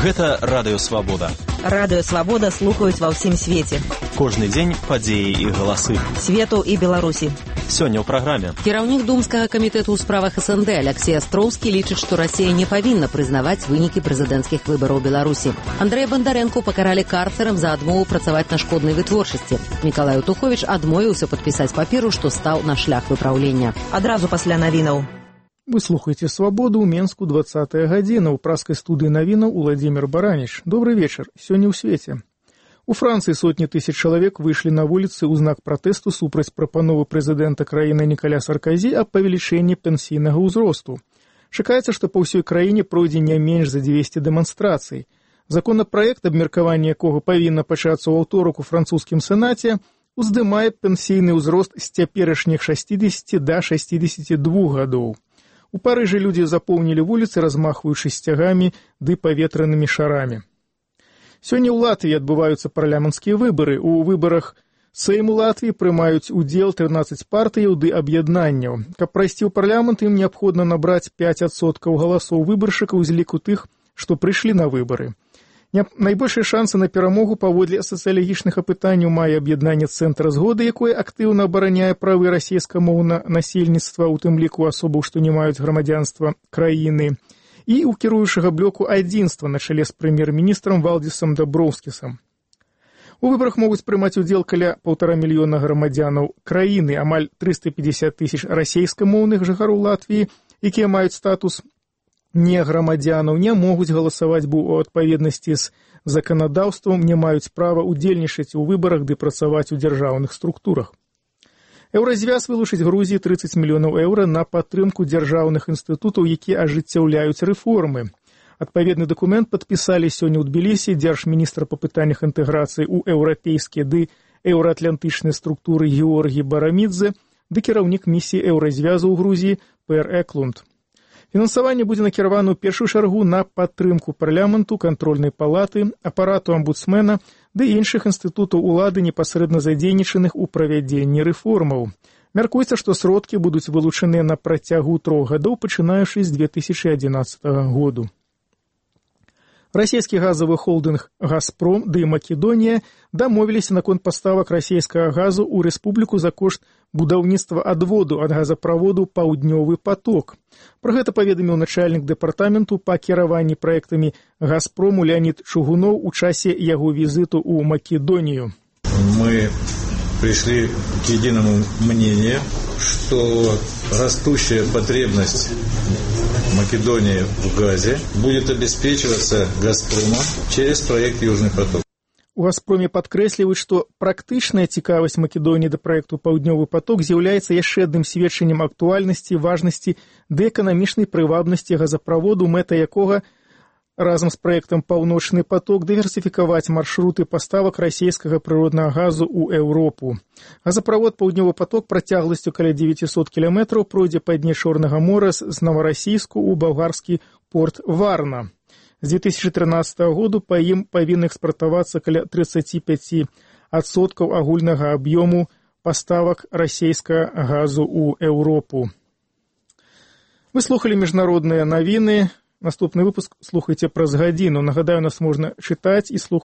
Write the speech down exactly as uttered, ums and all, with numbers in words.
Гэта Радыё Свабода. Радыё Свабода слухаюць ва ўсім свеце. Кожны дзень падзеі і галасы. Свету і Беларусі. Сёння ў праграме. Кіраўнік Думскага камітэту ў справах СНД Алексей Астроўскі лічыць, што Расія не павінна прызнаваць вынікі прэзідэнцкіх выбараў Беларусі. Андрэя Бандарэнку пакаралі карцерам за адмову працаваць на шкоднай вытворчасці. Мікалай Утуховіч адмовіўся падпісаць паперу, што стаў на шлях выпраўлення. Адразу пасля навінаў. Вы слухаеце «Свободу» ў Менску, двадцатая гадзіна. У праскай студыі навінаў Уладзімір Бараніч. Добрый вечар. Сёння ў свеце. У Францыі сотні тысяч чалавек выйшлі на вуліцы ў знак пратэсту супраць прапановы прэзідэнта краіны Нікаля Сарказі аб павелічэнні пенсійнага ўзросту. Чакаецца, што па ўсёй краіне пройдзе не менш за дзвесце дэманстрацый. Законапраект, абмеркаванне якога павінна пачацца ў аўторак у французскім сенаце, уздымае пенсійны ўзрост з цяперашніх шэсцідзесяці да шэсцідзесяці двух гадоў. У Парыжы людзі запоўнілі вуліцы, размахваючы сцягамі ды паветранымі шарамі. Сёння ў Латвіі адбываюцца парламенцкія выбары. У выбарах Сейму Латвіі прымаюць удзел трынаццаць партыяў ды аб'яднанняў. Каб прайсці ў парламент, ім неабходна набраць пяць адсоткаў галасоў выбаршчыкаў з ліку тых, што прыйшлі на выбары. Найбольшыя шансы на перамогу паводле сацыялагічных апытанняў мае аб'яднанне «Цэнтра згоды», якое актыўна абараняе правы расійскамоўнага насельніцтва, у тым ліку асобаў, што не маюць грамадзянства краіны, і ў кіруючага блоку «Адзінства» на чале з прэм'ер-міністрам Валдзісам Даброўскісам. У выбарах могуць прымаць удзел каля паўтара мільёна грамадзянаў краіны, амаль трыста пятьдесят тысяч расійскамоўных жыхароў Латвіі, якія маюць статус не грамадзянаў, не могуць галасаваць, бо ў адпаведнасці з заканадаўствам не маюць права удзельнічаць у выбарах ды працаваць у дзяржаўных структурах. Еўразвяз вылучыць Грузіі трыццаць мільёнаў еўра на падтрымку дзяржаўных інстытутаў, якія ажыццяўляюць рэформы. Адпаведны дакумент падпісалі сёння ў Тбілісі дзяржміністр па пытаннях інтэграцыі ў еўрапейскія ды еўраатлантычныя структуры Георгій Барамідзе ды кіраўнік місіі Еўразвязу ў Грузіі Пэр Эклунд. Фінансаванне будзе накіравана ў першую чаргу на падтрымку парламенту, кантрольнай палаты, апарату амбудсмена ды іншых інстытутаў улады, непасрэдна задзейнічаных у правядзенні рэформаў. Мяркуецца, што сродкі будуць вылучаныя на працягу трох гадоў, пачынаючы з две тысячы адзінаццатага году. Расійскі газавы холдынг «Газпром» ды «Македонія» дамовіліся наконт паставак расійскага газу ў рэспубліку за кошт будаўніцтва адводу ад газаправоду «Паўднёвы поток». Пра гэта паведаміў начальнік дэпартаменту па кіраванні праектамі «Газпрому» Леонид Чугунов у часе яго візіту ў Македонію. Мы пришли к единому мнению, что растущая потребность Македонии в газе будет обеспечиваться «Газпромом» через проект «Южный поток». У «Газпроме» падкрэсліваюць, што практычная цікавасць Македоніі да праекту «Паўднёвы поток» з'яўляецца яшчэ адным сведчаннем актуальнасці, важнасці ды эканамічнай прывабнасці газаправоду, мэта якога разам з праектам «Паўночны поток» дыверсіфікаваць маршруты паставак расійскага прыроднага газу ў Еўропу. Газаправод «Паўднёвы поток» працягласцю каля дзевяцісот кіламетраў пройдзе па дне Чорнага мора з Наварасійску ў балгарскі порт Варна. З две тысячи тринадцатого году па ім павінны экспартавацца каля тридцать пять адсоткаў агульнага аб'ёму паставак расійскага газу ў Еўропу. Вы слухалі міжнародныя навіны. Наступны выпуск слухайце праз гадзіну. Нагадаю, нас можна чытаць і слухаць